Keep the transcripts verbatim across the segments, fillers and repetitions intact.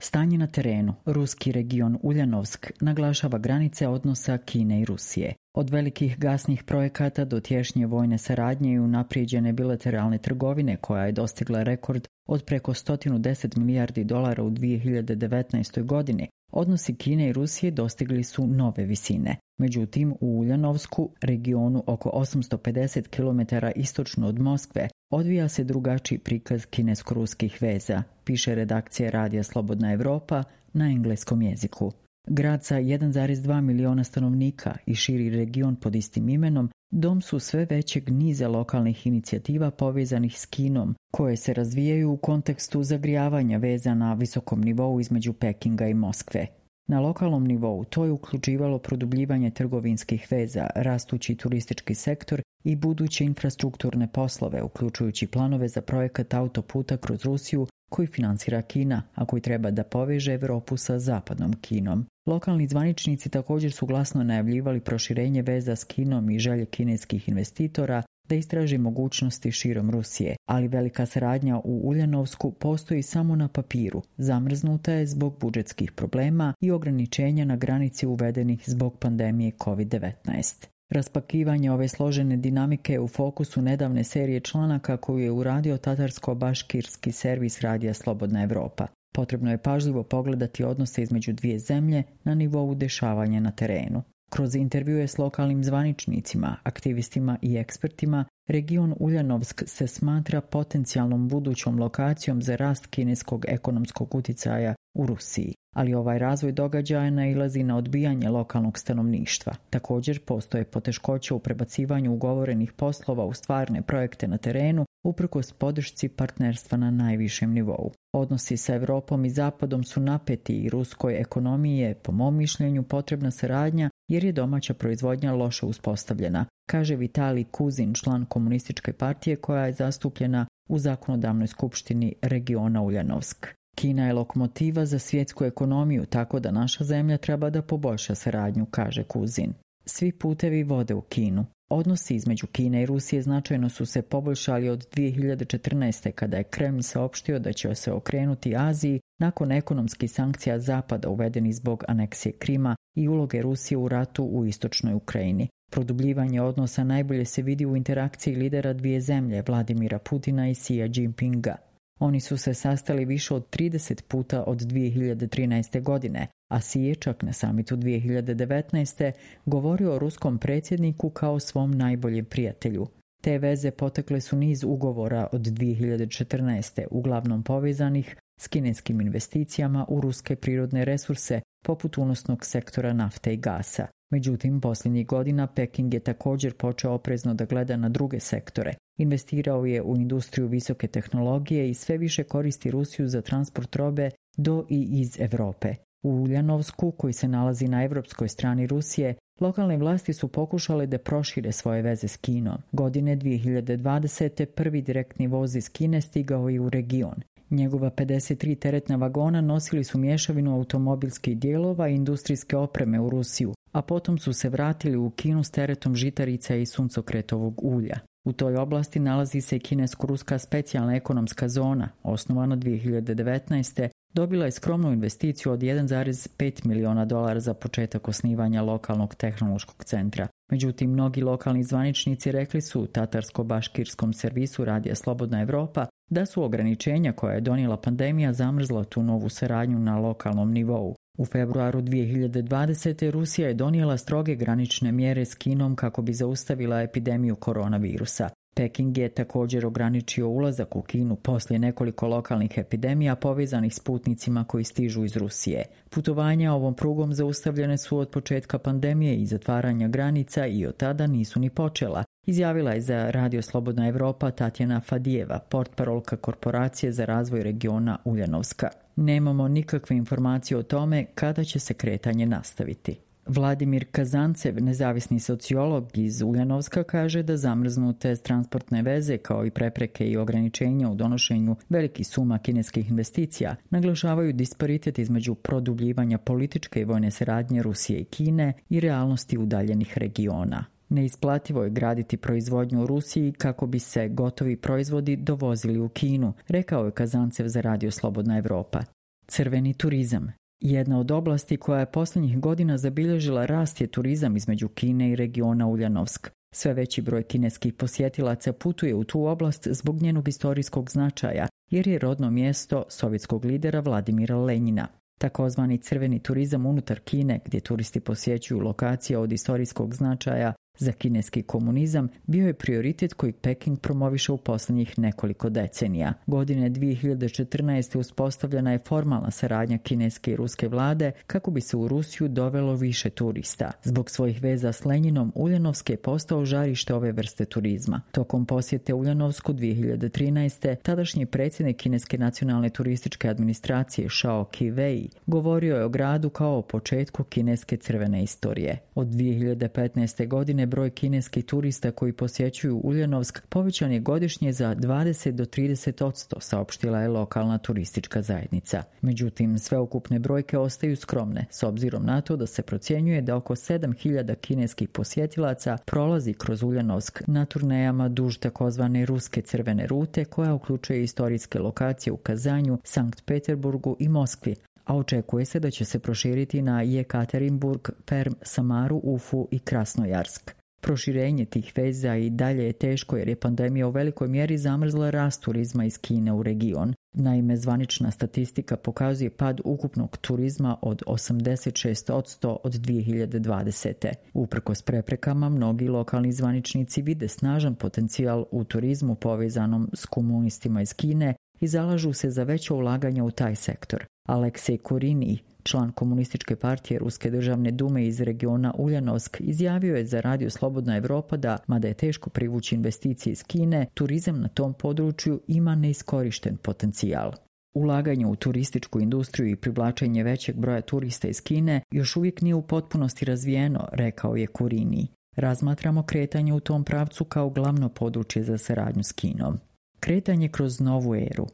Stanje na terenu. Ruski region Uljanovsk naglašava granice odnosa Kine i Rusije. Od velikih gasnih projekata do tješnje vojne saradnje i unaprijeđene bilateralne trgovine koja je dostigla rekord od preko sto deset milijardi dolara u dvije hiljade devetnaestoj. godini, odnosi Kine i Rusije dostigli su nove visine. Međutim, u Uljanovsku, regionu oko osamsto pedeset kilometara istočno od Moskve, odvija se drugačiji prikaz kinesko-ruskih veza, piše redakcija Radija Slobodna Evropa na engleskom jeziku. Grad sa jedan zarez dva miliona stanovnika i širi region pod istim imenom dom su sve većeg niza lokalnih inicijativa povezanih s Kinom, koje se razvijaju u kontekstu zagrijavanja veza na visokom nivou između Pekinga i Moskve. Na lokalnom nivou to je uključivalo produbljivanje trgovinskih veza, rastući turistički sektor i buduće infrastrukturne poslove, uključujući planove za projekat autoputa kroz Rusiju koji finansira Kina, a koji treba da poveže Evropu sa zapadnom Kinom. Lokalni zvaničnici također su glasno najavljivali proširenje veza s Kinom i želje kineskih investitora da istraži mogućnosti širom Rusije, ali velika saradnja u Uljanovsku postoji samo na papiru, zamrznuta je zbog budžetskih problema i ograničenja na granici uvedenih zbog pandemije kovid devetnaest. Raspakivanje ove složene dinamike je u fokusu nedavne serije članaka koju je uradio tatarsko-baškirski servis Radija Slobodna Evropa. Potrebno je pažljivo pogledati odnose između dvije zemlje na nivou dešavanja na terenu. Kroz intervjue s lokalnim zvaničnicima, aktivistima i ekspertima, region Uljanovsk se smatra potencijalnom budućom lokacijom za rast kineskog ekonomskog uticaja u Rusiji. Ali ovaj razvoj događaja nailazi na odbijanje lokalnog stanovništva. Također postoje poteškoće u prebacivanju ugovorenih poslova u stvarne projekte na terenu, uprkos podršci partnerstva na najvišem nivou. Odnosi sa Evropom i Zapadom su napeti i ruskoj ekonomiji je, po mom mišljenju, potrebna saradnja jer je domaća proizvodnja loše uspostavljena, kaže Vitalij Kuzin, član komunističke partije koja je zastupljena u zakonodavnoj skupštini regiona Uljanovsk. Kina je lokomotiva za svjetsku ekonomiju, tako da naša zemlja treba da poboljša saradnju, kaže Kuzin. Svi putevi vode u Kinu. Odnosi između Kine i Rusije značajno su se poboljšali od dvije hiljade četrnaeste. kada je Kremlj saopštio da će se okrenuti Aziji nakon ekonomskih sankcija Zapada uvedenih zbog aneksije Krima i uloge Rusije u ratu u istočnoj Ukrajini. Produbljivanje odnosa najbolje se vidi u interakciji lidera dvije zemlje, Vladimira Putina i Xi Jinpinga. Oni su se sastali više od trideset puta od dvije hiljade trinaeste. godine, a Xi je čak na samitu dvije hiljade devetnaeste. govorio o ruskom predsjedniku kao svom najboljem prijatelju. Te veze potekle su niz ugovora od dvije hiljade četrnaeste. uglavnom povezanih s kineskim investicijama u ruske prirodne resurse, poput unosnog sektora nafte i gasa. Međutim, posljednjih godina Peking je također počeo oprezno da gleda na druge sektore. Investirao je u industriju visoke tehnologije i sve više koristi Rusiju za transport robe do i iz Evrope. U Uljanovsku, koji se nalazi na evropskoj strani Rusije, lokalne vlasti su pokušale da prošire svoje veze s Kinom. Godine dvije hiljade dvadesete. prvi direktni voz iz Kine stigao je u region. Njegova pedeset tri teretna vagona nosili su mješavinu automobilskih dijelova i industrijske opreme u Rusiju, a potom su se vratili u Kinu s teretom žitarica i suncokretovog ulja. U toj oblasti nalazi se i kinesko-ruska specijalna ekonomska zona, osnovana dvije hiljade devetnaeste. Dobila je skromnu investiciju od jedan zarez pet miliona dolara za početak osnivanja lokalnog tehnološkog centra. Međutim, mnogi lokalni zvaničnici rekli su u tatarsko-baškirskom servisu Radija Slobodna Evropa da su ograničenja koja je donijela pandemija zamrzla tu novu saradnju na lokalnom nivou. U februaru dvije hiljade dvadesete. Rusija je donijela stroge granične mjere s Kinom kako bi zaustavila epidemiju koronavirusa. Peking je također ograničio ulazak u Kinu poslije nekoliko lokalnih epidemija povezanih s putnicima koji stižu iz Rusije. Putovanja ovom prugom zaustavljene su od početka pandemije i zatvaranja granica i od tada nisu ni počela, izjavila je za Radio Slobodna Evropa Tatjana Fadijeva, portparolka Korporacije za razvoj regiona Uljanovska. Nemamo nikakve informacije o tome kada će se kretanje nastaviti. Vladimir Kazancev, nezavisni sociolog iz Uljanovska, kaže da zamrznute transportne veze kao i prepreke i ograničenja u donošenju velikih suma kineskih investicija naglašavaju disparitet između produbljivanja političke i vojne saradnje Rusije i Kine i realnosti udaljenih regiona. Neisplativo je graditi proizvodnju u Rusiji kako bi se gotovi proizvodi dovozili u Kinu, rekao je Kazancev za Radio Slobodna Evropa. Crveni turizam. Jedna od oblasti koja je posljednjih godina zabilježila rast je turizam između Kine i regiona Uljanovsk. Sve veći broj kineskih posjetilaca putuje u tu oblast zbog njenog historijskog značaja, jer je rodno mjesto sovjetskog lidera Vladimira Lenjina. Takozvani crveni turizam unutar Kine, gdje turisti posjećuju lokacije od historijskog značaja za kineski komunizam, bio je prioritet koji Peking promoviše u posljednjih nekoliko decenija. Godine dvije hiljade četrnaeste. uspostavljena je formalna saradnja kineske i ruske vlade kako bi se u Rusiju dovelo više turista. Zbog svojih veza s Lenjinom, Uljanovsk je postao žarište ove vrste turizma. Tokom posjete Uljanovsku dvije hiljade trinaeste. tadašnji predsjednik Kineske nacionalne turističke administracije Shao Ki-wei govorio je o gradu kao o početku kineske crvene istorije. Od dvije hiljade petnaeste. godine broj kineskih turista koji posjećuju Uljanovsk povećan je godišnje za dvadeset do trideset posto, saopštila je lokalna turistička zajednica. Međutim, sveukupne brojke ostaju skromne, s obzirom na to da se procjenjuje da oko sedam hiljada kineskih posjetilaca prolazi kroz Uljanovsk na turnejama duž takozvane ruske crvene rute, koja uključuje istorijske lokacije u Kazanju, Sankt Peterburgu i Moskvi, a očekuje se da će se proširiti na Jekaterinburg, Perm, Samaru, Ufu i Krasnojarsk. Proširenje tih veza i dalje je teško jer je pandemija u velikoj mjeri zamrzla rast turizma iz Kine u region. Naime, zvanična statistika pokazuje pad ukupnog turizma od osamdeset šest posto od dvije hiljade dvadesete. Uprkos preprekama, mnogi lokalni zvaničnici vide snažan potencijal u turizmu povezanom s komunistima iz Kine i zalažu se za veće ulaganja u taj sektor. Aleksej Kurini, član komunističke partije Ruske državne dume iz regiona Uljanovsk, izjavio je za Radio Slobodna Evropa da, mada je teško privući investicije iz Kine, turizam na tom području ima neiskorišten potencijal. Ulaganje u turističku industriju i privlačenje većeg broja turista iz Kine još uvijek nije u potpunosti razvijeno, rekao je Kurini. Razmatramo kretanje u tom pravcu kao glavno područje za saradnju s Kinom. Kretanje kroz novu eru.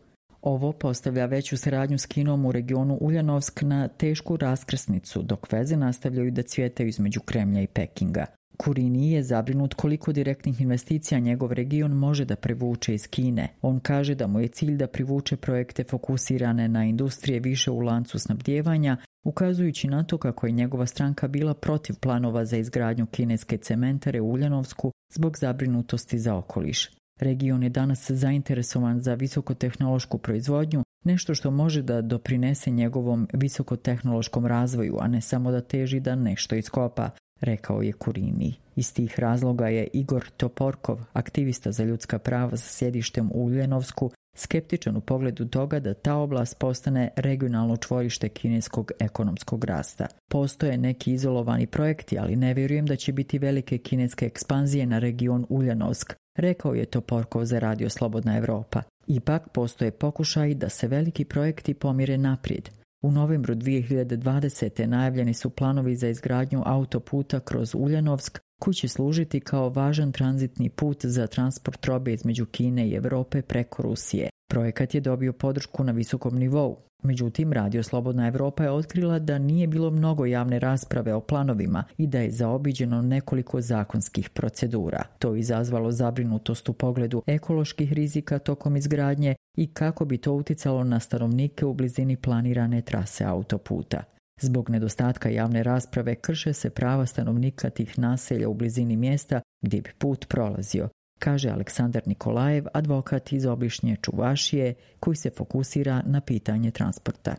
Ovo postavlja veću saradnju s Kinom u regionu Uljanovsk na tešku raskrsnicu, dok veze nastavljaju da cvjetaju između Kremlja i Pekinga. Kurini je zabrinut koliko direktnih investicija njegov region može da privuče iz Kine. On kaže da mu je cilj da privuče projekte fokusirane na industrije više u lancu snabdijevanja, ukazujući na to kako je njegova stranka bila protiv planova za izgradnju kineske cementare u Uljanovsku zbog zabrinutosti za okoliš. Region je danas zainteresovan za visokotehnološku proizvodnju, nešto što može da doprinese njegovom visokotehnološkom razvoju, a ne samo da teži da nešto iskopa, rekao je Kurini. Iz tih razloga je Igor Toporkov, aktivista za ljudska prava sa sjedištem u Uljanovsku, skeptičan u pogledu toga da ta oblast postane regionalno čvorište kineskog ekonomskog rasta. Postoje neki izolovani projekti, ali ne vjerujem da će biti velike kineske ekspanzije na region Uljanovsk, rekao je Toporkov za Radio Slobodna Evropa. Ipak postoje pokušaji da se veliki projekti pomire naprijed. U novembru dvije hiljade dvadesete. najavljeni su planovi za izgradnju autoputa kroz Uljanovsk, koji će služiti kao važan tranzitni put za transport robe između Kine i Europe preko Rusije. Projekat je dobio podršku na visokom nivou. Međutim, Radio Slobodna Evropa je otkrila da nije bilo mnogo javne rasprave o planovima i da je zaobiđeno nekoliko zakonskih procedura. To je izazvalo zabrinutost u pogledu ekoloških rizika tokom izgradnje i kako bi to uticalo na stanovnike u blizini planirane trase autoputa. Zbog nedostatka javne rasprave krše se prava stanovnika tih naselja u blizini mjesta gdje bi put prolazio, kaže Aleksandar Nikolajev, advokat iz obližnje Čuvašije koji se fokusira na pitanje transporta.